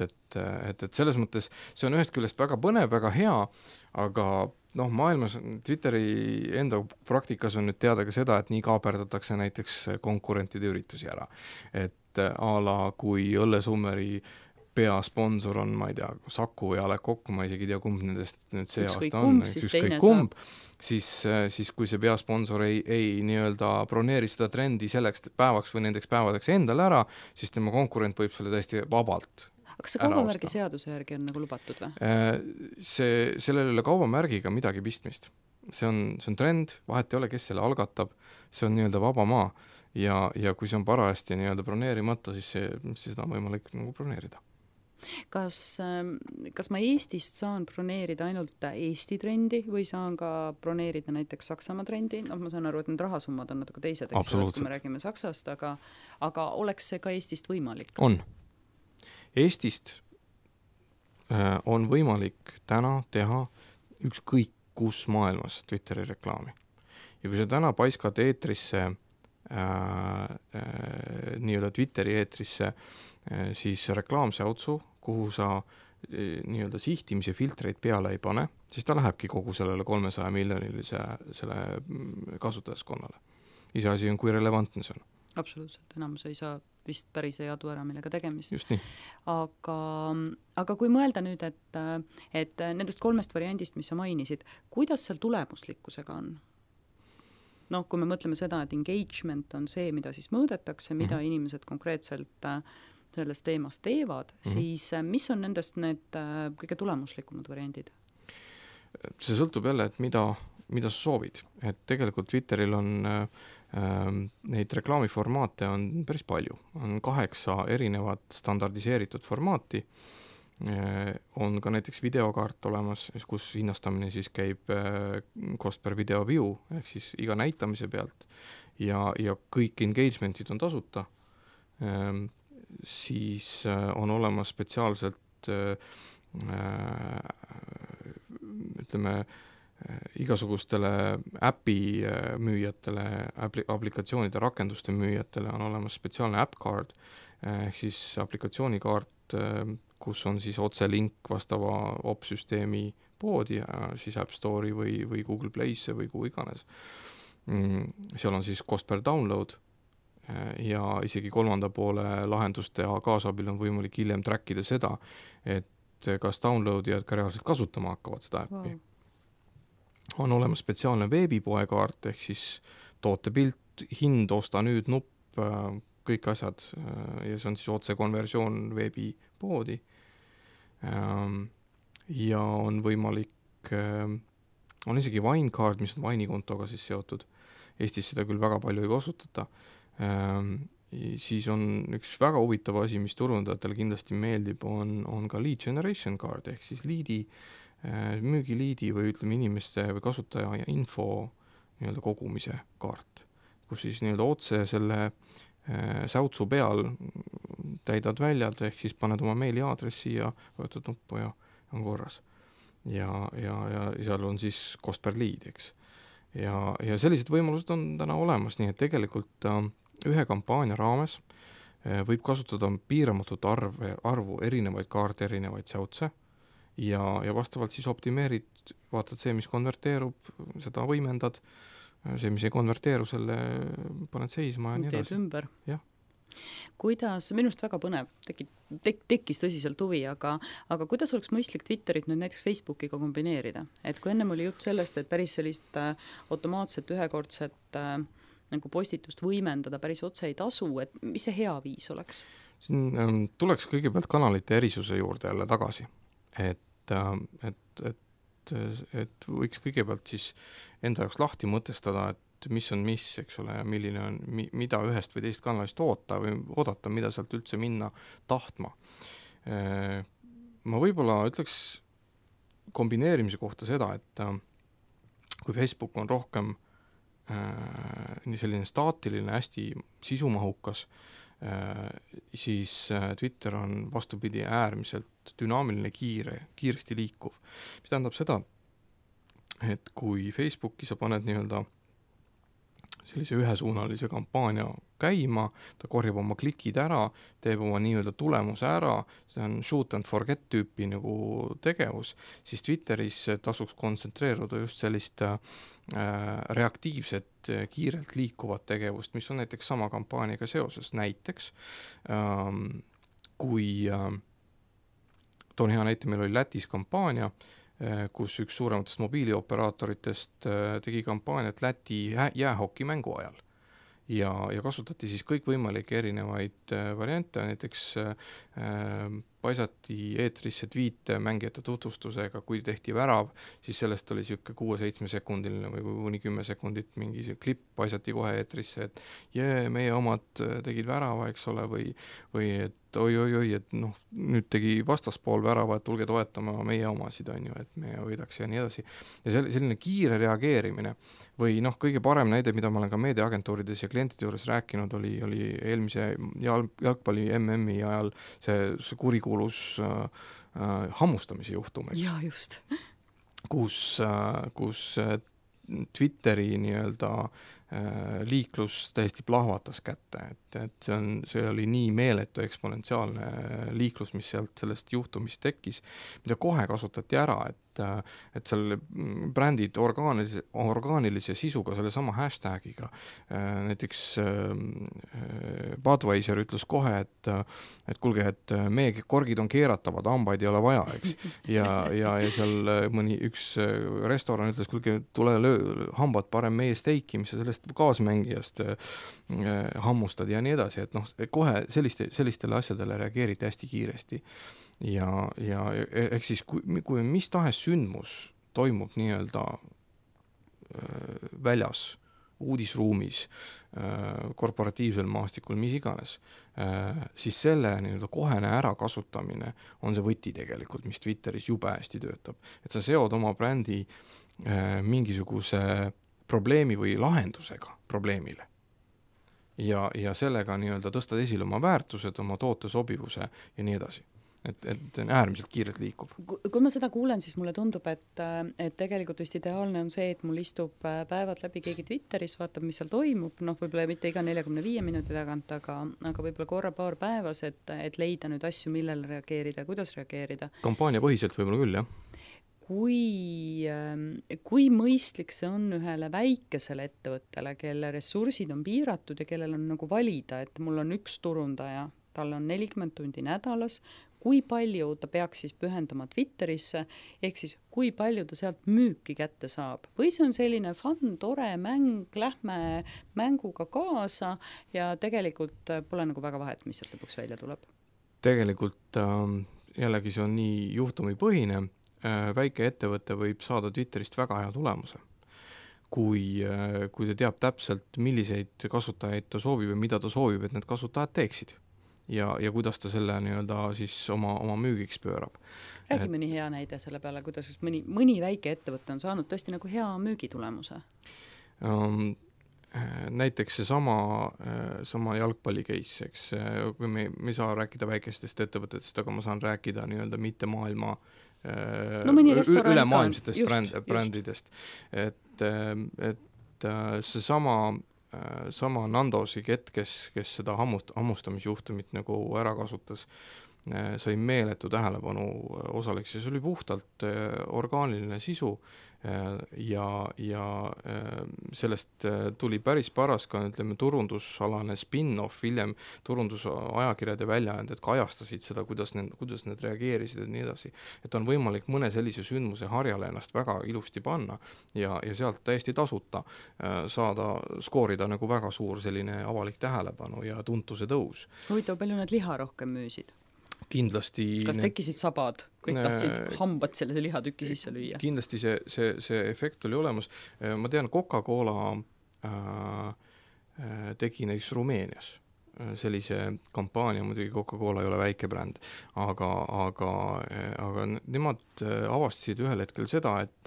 selles mõttes see on ühest küljest väga põnev, väga hea, aga maailmas Twitteri enda praktikas on nüüd teada ka seda, et nii kaaperdatakse näiteks konkurentide üritusi ära. Et a la kui Õllesummeri peasponsor on, ma ei tea, Saku või A Le Coq, ma isegi tea, kumb nendest nüüd see aasta on, siis kui see peasponsor ei nii-öelda broneeri seda trendi selleks päevaks või nendeks päevadeks endale ära, siis tema konkurent võib selle täiesti vabalt. Aga see kaubamärgi seaduse järgi on nagu lubatud või? Sellel ei ole kaubamärgiga midagi pistmist. See on trend, vahet ei ole, kes selle algatab, see on nii-öelda vaba maa ja kui see on parajasti nii-öelda broneerimata, siis seda on võimalik nagu broneerida. Kas ma Eestist saan broneerida ainult Eesti trendi või saan ka broneerida näiteks Saksamaa trendi? Ma saan aru, et need rahasummad on natuke teised, kui me räägime Saksast, aga oleks see ka Eestist võimalik? On. Eestist on võimalik täna teha ükskõik kus maailmas Twitteri reklaami. Ja kui sa täna paiskad eetrisse, nii-öelda Twitteri eetrisse, siis reklaamsäutsu, kuhu sa nii-öelda sihtimise filtreid peale ei pane, siis ta lähebki kogu sellele 300 miljonilise selle kasutajaskonnale. Iseasi on, kui relevantne see on. Absoluutselt, enamus ei saa vist päris ei adu ära, millega tegemist. Just nii. Aga kui mõelda nüüd, et nendest 3 variandist, mis sa mainisid, kuidas seal tulemuslikkusega on? Kui me mõtleme seda, et engagement on see, mida siis mõõdetakse, mida inimesed konkreetselt selles teemas teevad, siis mis on nendest need kõige tulemuslikumad variandid? See sõltub jälle, et mida sa soovid. Et tegelikult Twitteril on neid reklaamiformaate on päris palju. On 8 erinevat standardiseeritud formaati. On ka näiteks videokaart olemas, kus hinnastamine siis käib cost per video view, ehk siis iga näitamise pealt ja kõik engagementid on tasuta. Siis on olemas spetsiaalselt ütleme igasugustele äpi müüjatele, aplikatsioonide rakenduste müüjatele on olemas spetsiaalne app card, ehk siis aplikatsioonikaart, kus on siis otse link vastava op-süsteemi poodi, siis App Store'i või Google Play'sse või kuhu iganes. Seal on siis cost per download ja isegi 3. poole lahenduste kaasabil on võimalik hiljem trackida seda, et kas downloadijad ka reaalselt kasutama hakkavad seda äppi. Wow. On olemas spetsiaalne veebipoekaart, ehk siis tootepilt, hind, osta nüüd nupp, kõik asjad ja see on siis otse konversioon veebipoodi. Ja on võimalik, on isegi Winecard, mis on Wine'ikontoga siis seotud. Eestis seda küll väga palju ei kasutata. Siis on üks väga huvitav asi, mis turundajatele kindlasti meeldib, on ka lead generation card, ehk siis müügiliidi või ütleme inimeste või kasutaja ja info nii-öelda kogumise kaart, kus siis nii-öelda otse selle säutsu peal täidad väljad, ehk siis paned oma meiliaadressi ja vajutad nuppu ja on korras. Ja seal on siis cost per lead, eks. Ja sellised võimalused on täna olemas, nii et tegelikult ühe kampaania raames võib kasutada piiramatut arvu erinevaid kaarte, erinevaid säutse ja vastavalt siis optimeerid, vaatad see, mis konverteerub, seda võimendad, see, mis ei konverteeru, selle paned seisma ja nii edasi. Teed ümber. Jah. Kuidas, minust väga põnev, tekkis tõsiselt huvi, aga kuidas oleks mõistlik Twitterit nüüd näiteks Facebookiga kombineerida? Et kui ennem oli jutt sellest, et päris sellist automaatset ühekordset nagu postitust võimendada päris otse ei tasu, et mis see hea viis oleks? Siin tuleks kõigepealt kanalite erisuse juurde jälle tagasi, et võiks kõigepealt siis enda jaoks lahti mõtestada, et mis on mis, eks ole, ja milline on, mida ühest või teist kanalist oodata, mida sealt üldse minna tahtma. Ma võib-olla ütleks kombineerimise kohta seda, et kui Facebook on rohkem nii selline staatiline, hästi sisumahukas, siis Twitter on vastupidi äärmiselt dünaamiline, kiiresti liikuv. Mis tähendab seda, et kui Facebooki sa paned nii-öelda sellise ühesuunalise kampaania käima, ta korjab oma klikid ära, teeb oma nii-öelda tulemuse ära, see on shoot and forget tüüpi nagu tegevus, siis Twitteris tasuks kontsentreeruda just sellist reaktiivset, kiirelt liikuvat tegevust, mis on näiteks sama kampaaniaga seoses. Näiteks, kui toon hea näite, meil oli Lätis kampaania, kus üks suurematest mobiilioperaatoritest tegi kampaaniat Läti jäähoki mängu ajal. Ja kasutati siis kõikvõimalikke erinevaid variante, näiteks paisati eetrisse tweete mängijate tutvustusega, kui tehti värav, siis sellest oli siuke 6-7 sekundiline või kuni 10 sekundit mingi klipp paisati kohe eetrisse, et meie omad tegid värava, eks ole, või et oi, et noh, nüüd tegi vastaspool värava, et tulge toetama meie omasid, on ju, et me võidaks ja nii edasi. Ja selline kiire reageerimine või noh, kõige parem näide, mida ma olen ka meediaagentuurides ja klientide juures rääkinud, oli eelmise jalgpalli MM-i ajal see kurikuulus hammustamise juhtum. Ja just. Kus Twitteri nii-öelda liiklus täiesti plahvatas kätte, et see oli nii meeletu eksponentsiaalne liiklus, mis sellest juhtumist tekkis, mida kohe kasutati ära, et seal brändid orgaanilise sisuga selle sama hashtagiga, näiteks Budweiser ütles kohe, et kuulge, et meie korgid on keeratavad, hambaid ei ole vaja, eks. Ja seal mõni üks restoran ütles, kuulge, tule hambad parem meie steiki, mis sa sellest kaasmängijast hammustad ja nii edasi, et noh, kohe sellistele asjadele reageeriti hästi kiiresti. Ja ehk siis, kui mis tahes sündmus toimub nii-öelda väljas, uudisruumis, korporatiivsel maastikul, mis iganes, siis selle nii-öelda kohene ärakasutamine on see võti tegelikult, mis Twitteris jube hästi töötab. Et sa seod oma brändi mingisuguse probleemi või lahendusega probleemile. Ja sellega nii-öelda tõstad esile oma väärtused, oma toote sobivuse ja nii edasi. Et äärmiselt kiirelt liikuv. Kui ma seda kuulen, siis mulle tundub, et tegelikult vist ideaalne on see, et mul istub päevad läbi keegi Twitteris, vaatab, mis seal toimub, noh, võib-olla mitte iga 45 minuti tagant, aga võib-olla korra paar päevas, et leida nüüd asju, millele reageerida, kuidas reageerida. Kampaania põhiselt võib-olla küll, jah. Kui mõistlik see on ühele väikesele ettevõttele, kelle ressursid on piiratud ja kellel on nagu valida, et mul on üks turundaja, tal on 40 tundi nädalas, kui palju ta peaks siis pühendama Twitterisse, ehk siis kui palju ta sealt müüki kätte saab. Või see on selline fun, tore mäng, lähme mänguga kaasa ja tegelikult pole nagu väga vahet, mis sealt lõpuks välja tuleb. Tegelikult jällegi see on nii juhtumipõhine, väike ettevõte võib saada Twitterist väga hea tulemuse. Kui ta teab täpselt, milliseid kasutajaid ta soovib ja mida ta soovib, et need kasutajad teeksid. Ja kuidas ta selle nii-öelda siis oma müügiks pöörab. Räägi mõni hea näide selle peale, kuidas mõni väike ettevõte on saanud tõesti nagu hea müügitulemuse? näiteks sama jalgpalli case, eks, kui me ei saa rääkida väikestest ettevõtetest, aga ma saan rääkida nii-öelda mitte maailma ülemaailmsetest brändidest. Et see sama Nandosi kett, kes seda hammustamisjuhtumit nagu ära kasutas, sai meeletu tähelepanu osaleks ja see oli puhtalt orgaaniline sisu ja sellest tuli päris paras ka, ütleme, turundusalane spin-off, hiljem turundusajakirjade väljaanded kajastasid seda, kuidas need reageerisid ja nii edasi. Et on võimalik mõne sellise sündmuse harjale ennast väga ilusti panna ja sealt täiesti tasuta saada, skoorida nagu väga suur selline avalik tähelepanu ja tuntuse tõus. Huvitav, palju nad liha rohkem müüsid? Kindlasti kas tekkisid sabad, kõik tahtsid hambad selle lihatükki sisse lüüa? Kindlasti see efekt oli olemas. Ma tean, Coca-Cola tegi näiteks Rumeenias sellise kampaania, muidugi Coca-Cola ei ole väike bränd, aga nemad avastasid ühel hetkel seda, et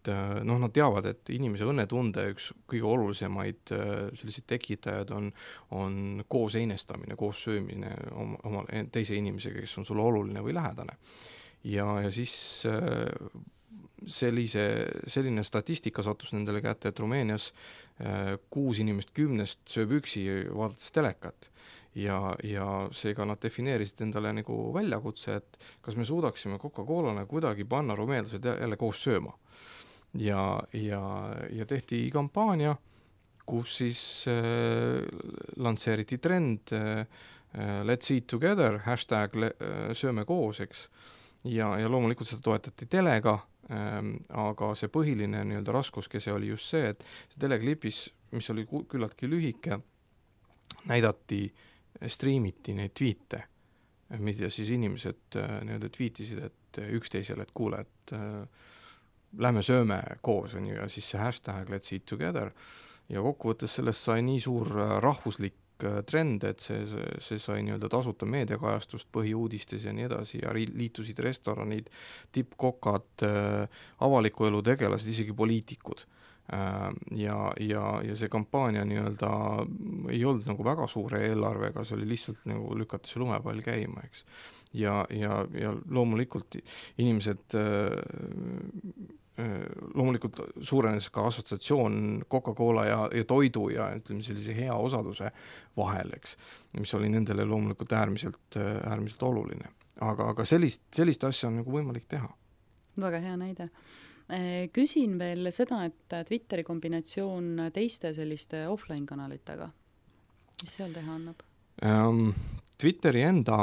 nad teavad, et inimese õnnetunde üks kõige olulisemaid selliseid tekitajad on koos einestamine, koos söömine oma teise inimesega, kes on sulle oluline või lähedane. Ja siis selline statistika sattus nendele kätte, et Rumeenias 6 inimest 10 sööb üksi vaadates telekat. Ja seega nad defineerisid endale nagu väljakutse, et kas me suudaksime Coca-Colana kuidagi panna rumeenlased jälle koos sööma. Ja tehti kampaania, kus siis lansseeriti trend Let's eat together, hashtag sööme koos, eks. Ja loomulikult seda toetati telega, aga see põhiline nii-öelda raskuskese oli just see, et see teleklipis, mis oli küllaltki lühike, streamiti neid tweete, mida siis inimesed nii-öelda tweetisid, et üksteisele, et kuule, et lähme sööme koos, on ju, ja siis see hashtag Let's eat together ja kokkuvõttes sellest sai nii suur rahvuslik trend, et see sai nii-öelda tasuta meediakajastust põhiuudistes ja nii edasi ja liitusid restoranid, tippkokad, avaliku elu tegelased, isegi poliitikud. Ja see kampaania nii-öelda ei olnud nagu väga suure eelarvega, see oli lihtsalt nagu lükata see lumepall käima, eks. Ja loomulikult inimesed loomulikult suurenes ka assotsiatsioon Coca-Cola ja toidu ja ütleme sellise hea osaduse vahel, eks, mis oli nendele loomulikult äärmiselt oluline. Aga sellist asja on nagu võimalik teha. Väga hea näide. Küsin veel seda, et Twitteri kombinatsioon teiste selliste offline-kanalitega, mis seal teha annab? Twitteri enda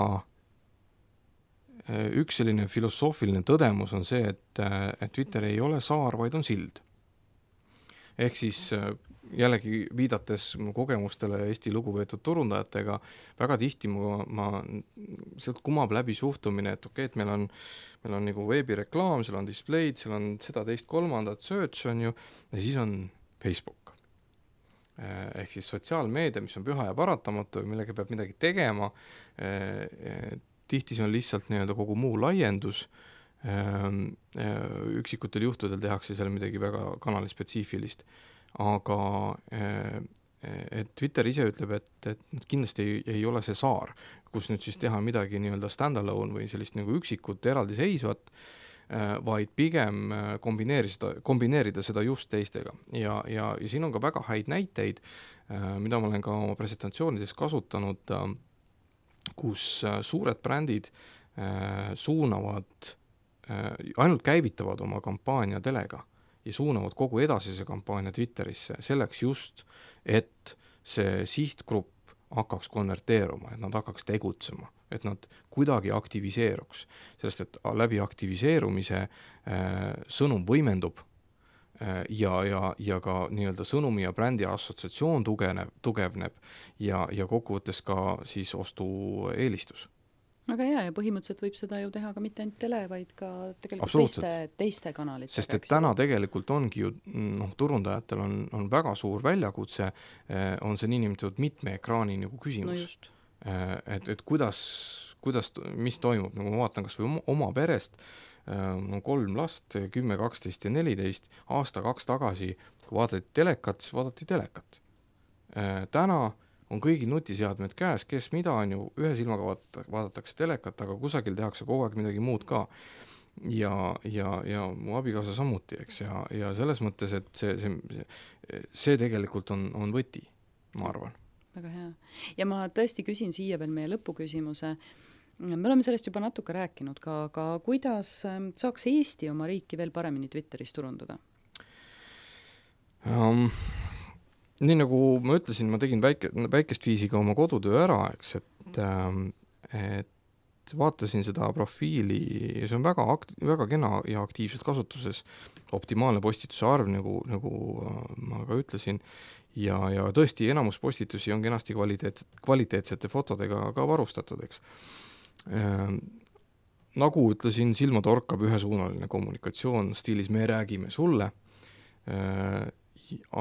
üks selline filosoofiline tõdemus on see, et Twitter ei ole saar, vaid on sild. Ehk siis jällegi viidates kogemustele Eesti lugupeetud turundajatega, väga tihti ma sealt kumab läbi suhtumine, et okei, et meil on nagu veebireklaam, seal on display'd, seal on seda teist kolmandat search on ju, ja siis on Facebook. Ehk siis sotsiaalmeedia, mis on püha ja paratamatu, millega peab midagi tegema, tihti see on lihtsalt nii-öelda kogu muu laiendus, üksikutel juhtudel tehakse seal midagi väga kanalispetsiifilist, aga et Twitter ise ütleb, et kindlasti ei ole see saar, kus nüüd siis teha midagi nii-öelda stand-alone või sellist nagu üksikut eraldiseisvat, vaid pigem kombineerida seda just teistega. Ja siin on ka väga häid näiteid, mida ma olen ka oma presentatsioonides kasutanud, kus suured brändid suunavad, ainult käivitavad oma kampaania telega ja suunavad kogu edasise kampaania Twitterisse selleks just, et see sihtgrupp hakkaks konverteeruma, et nad hakkaks tegutsema, et nad kuidagi aktiviseeruks, sellest, et läbi aktiviseerumise sõnum võimendub ja ka nii-öelda sõnumi ja brändi assotsiatsioon tugevneb ja kokkuvõttes ka siis ostueelistus. Aga hea, ja põhimõtteliselt võib seda ju teha ka mitte ainult tele, vaid ka tegelikult teiste kanalitega. Sest et täna tegelikult ongi ju, turundajatel on väga suur väljakutse, on see niinimetatud mitme ekraani nagu küsimus. No just. Et kuidas mis toimub, nagu ma vaatan kas või oma perest, 3 last, 10, 12 ja 14, aasta-2 tagasi, kui vaadati telekat, siis vaadati telekat. Täna on kõigil nutiseadmed käes, kes mida on ju, ühe silmaga vaadatakse telekat, aga kusagil tehakse kogu aeg midagi muud ka. Ja mu abikaasa samuti, eks, ja selles mõttes, et see tegelikult on võti, ma arvan. Väga hea. Ja ma tõesti küsin siia veel meie lõpuküsimuse. Me oleme sellest juba natuke rääkinud ka, aga kuidas saaks Eesti oma riiki veel paremini Twitteris turundada? Nii nagu ma ütlesin, ma tegin väikest viisi ka oma kodutöö ära, eks, et vaatasin seda profiili ja see on väga kena ja aktiivselt kasutuses, optimaalne postituse arv, nagu ma ka ütlesin, ja tõesti enamus postitusi on kenasti kvaliteetsete fotodega ka varustatud, eks. Nagu ütlesin, silma torkab ühesuunaline kommunikatsioon stiilis me räägime sulle,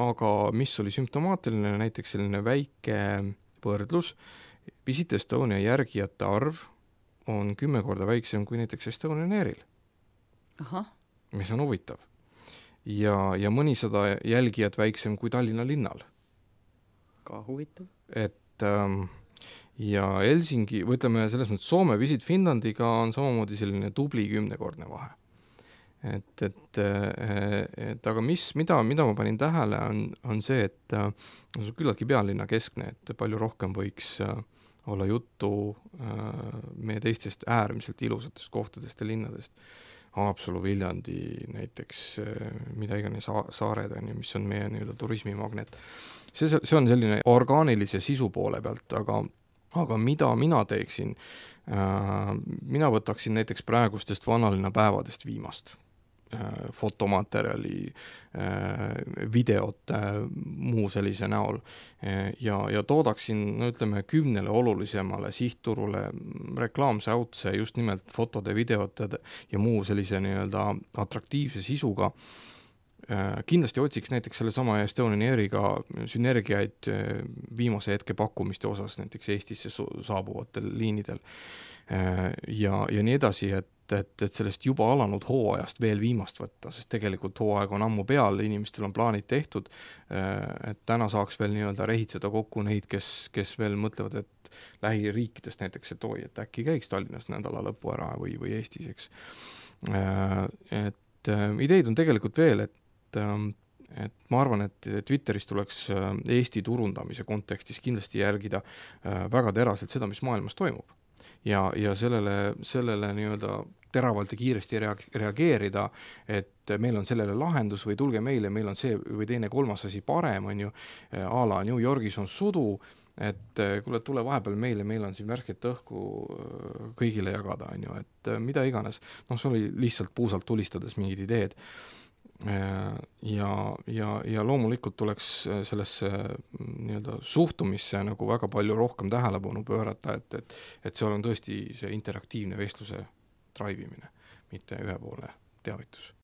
aga mis oli sümptomaatiline, näiteks selline väike võrdlus, Visit Estonia järgijate arv on 10 korda väiksem kui näiteks Estonian Airil. Aha. Mis on huvitav. Ja mõnisada jälgijat väiksem kui Tallinna linnal. Ka huvitav. Ja Helsingi, või ütleme selles mõttes Soome Visit Finlandiga on samamoodi selline tubli 10-kordne vahe. Aga mida ma panin tähele on see, et on küllaltki pealinna keskne, et palju rohkem võiks olla juttu meie teistest äärmiselt ilusatest kohtadest ja linnadest. Haapsalu, Viljandi näiteks, mida iganes saared on, mis on meie nii-öelda turismimagnet. See on selline orgaanilise sisu poole pealt, aga mida mina teeksin? Mina võtaksin näiteks praegustest vanalinna päevadest viimast fotomaterjali, videote, muu sellise näol ja toodaksin, ütleme, 10 olulisemale sihtturule reklaamsäutse just nimelt fotode, videote ja muu sellise nii-öelda atraktiivse sisuga. Kindlasti otsiks näiteks selle sama Estonian Airiga sünergiaid viimase hetke pakkumiste osas näiteks Eestisse saabuvatel liinidel ja nii edasi, et sellest juba alanud hooajast veel viimast võtta, sest tegelikult hooaeg on ammu peal, inimestel on plaanid tehtud, et täna saaks veel nii-öelda rehitseda kokku neid, kes veel mõtlevad, et lähiriikidest näiteks, et äkki käiks Tallinnas nädala lõpu ära või Eestis, eks. Et ideid on tegelikult veel, et ma arvan, et Twitteris tuleks Eesti turundamise kontekstis kindlasti järgida väga teraselt seda, mis maailmas toimub. Ja sellele nii-öelda teravalt ja kiiresti reageerida, et meil on sellele lahendus või tulge meile, meil on see või teine kolmas asi parem, on ju, a la New Yorgis on sudu, et kuule, tule vahepeal meile, meil on siin värsket õhku kõigile jagada, on ju, et mida iganes. See oli lihtsalt puusalt tulistades mingid ideed. Ja loomulikult tuleks sellesse nii-öelda suhtumisse nagu väga palju rohkem tähelepanu pöörata, et seal on tõesti see interaktiivne vestluse traivimine, mitte ühepoolne teavitus.